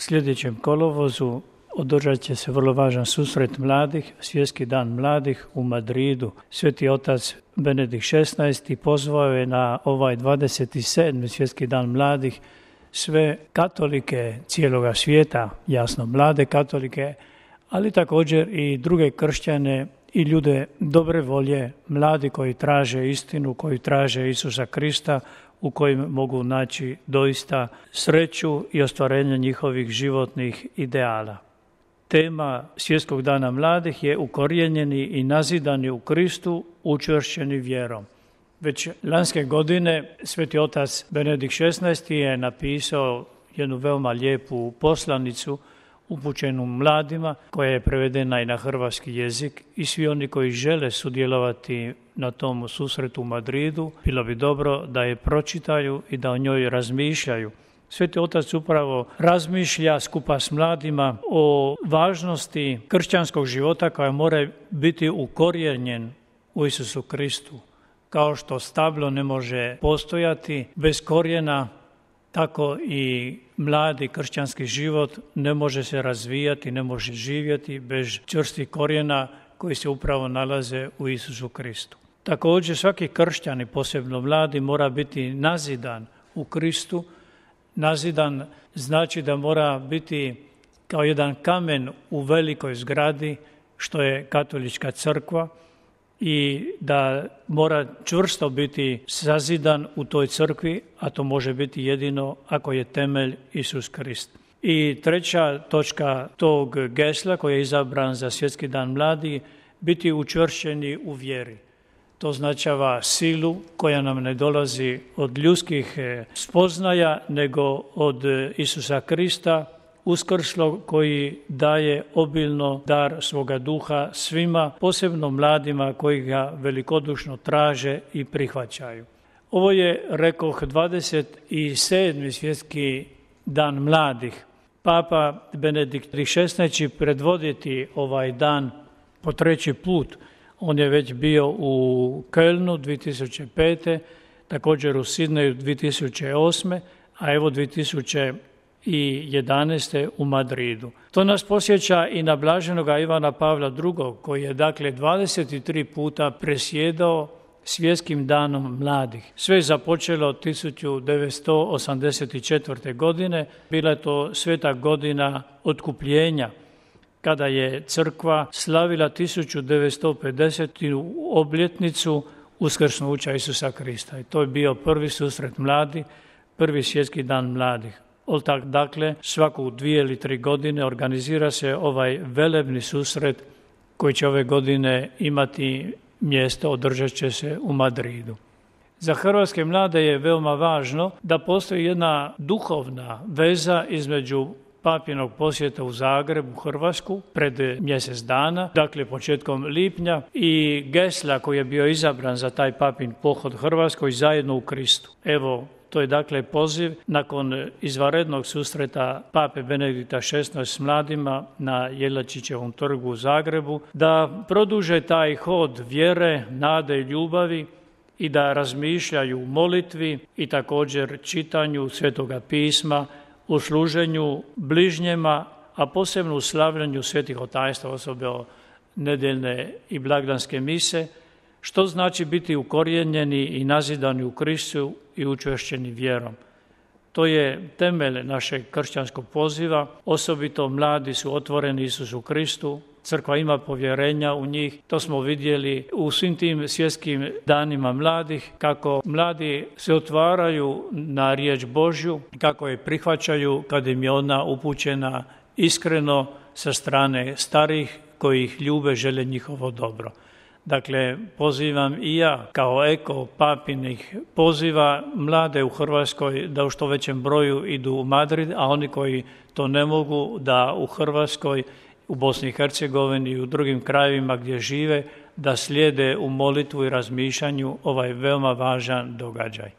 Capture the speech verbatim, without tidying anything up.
sljedećem kolovozu održat će se vrlo važan susret mladih, Svjetski dan mladih u Madridu. Sveti otac Benedikt šesnaesti pozvao je na ovaj dvadeset sedmi Svjetski dan mladih sve katolike cijeloga svijeta, jasno mlade katolike, ali također i druge kršćane i ljude dobre volje, mladi koji traže istinu, koji traže Isusa Krista, u kojim mogu naći doista sreću i ostvarenje njihovih životnih ideala. Tema Svjetskog dana mladih je ukorijenjeni i nazidani u Kristu, učvršćeni vjerom. Već lanske godine sveti otac Benedikt šesnaesti je napisao jednu veoma lijepu poslanicu upućenu mladima, koja je prevedena i na hrvatski jezik, i svi oni koji žele sudjelovati na tom susretu u Madridu, bilo bi dobro da je pročitaju i da o njoj razmišljaju. Sveti otac upravo razmišlja skupa s mladima o važnosti kršćanskog života koja mora biti ukorijenjen u Isusu Kristu. Kao što stablo ne može postojati bez korijena, tako i mladi kršćanski život ne može se razvijati, ne može živjeti bez čvrstih korijena koji se upravo nalaze u Isusu Kristu. Također svaki kršćan, posebno mladi, mora biti nazidan u Kristu. Nazidan znači da mora biti kao jedan kamen u velikoj zgradi, što je katolička crkva, i da mora čvrsto biti sazidan u toj crkvi, a to može biti jedino ako je temelj Isus Krist. I treća točka tog gesla koji je izabran za Svjetski dan mladih, biti učvršćeni u vjeri. To označava silu koja nam ne dolazi od ljudskih spoznaja, nego od Isusa Krista, uskrslog, koji daje obilno dar svoga duha svima, posebno mladima koji ga velikodušno traže i prihvaćaju. Ovo je, rekoh, dvadeset sedmi Svjetski dan mladih. Papa Benedikt šesnaesti će predvoditi ovaj dan po treći put. On je već bio u Kölnu dvije tisuće pete, također u Sidneju dvije tisuće osme, a evo dvije tisuće jedanaeste u Madridu. To nas posjeća i na blaženoga Ivana Pavla drugog, koji je dakle dvadeset tri puta presjedao Svjetskim danom mladih. Sve je započelo tisuću devetsto osamdeset četvrte. godine, bila je to sveta godina otkupljenja, kada je crkva slavila tisuću devetsto pedesetu obljetnicu uskrsnuća Isusa Krista. I to je bio prvi susret mladih, prvi Svjetski dan mladih. Dakle, svaku dvije ili tri godine organizira se ovaj velebni susret koji će ove godine imati mjesto, održat će se u Madridu. Za hrvatske mlade je veoma važno da postoji jedna duhovna veza između papinog posjeta u Zagreb, u Hrvatsku, pred mjesec dana, dakle početkom lipnja, i gesla koji je bio izabran za taj papin pohod Hrvatskoj, zajedno u Kristu. Evo, to je dakle poziv nakon izvanrednog susreta pape Benedikta šesnaestog s mladima na Jelačićevom trgu u Zagrebu, da produže taj hod vjere, nade i ljubavi i da razmišljaju u molitvi i također čitanju Svetoga pisma, u služenju bližnjema, a posebno u slavljanju svetih otajstva, osobito nedeljne i blagdanske mise, što znači biti ukorijenjeni i nazidani u Kristu i učvršćeni vjerom. To je temelj našeg kršćanskog poziva, osobito mladi su otvoreni Isusu Kristu, crkva ima povjerenja u njih, to smo vidjeli u svim tim svjetskim danima mladih, kako mladi se otvaraju na riječ Božju, kako je prihvaćaju kad im je ona upućena iskreno sa strane starih koji ih ljube, žele njihovo dobro. Dakle, pozivam i ja kao eko papinih poziva mlade u Hrvatskoj da u što većem broju idu u Madrid, a oni koji to ne mogu da u Hrvatskoj, u Bosni i Hercegovini i u drugim krajevima gdje žive, da slijede u molitvu i razmišljanju ovaj veoma važan događaj.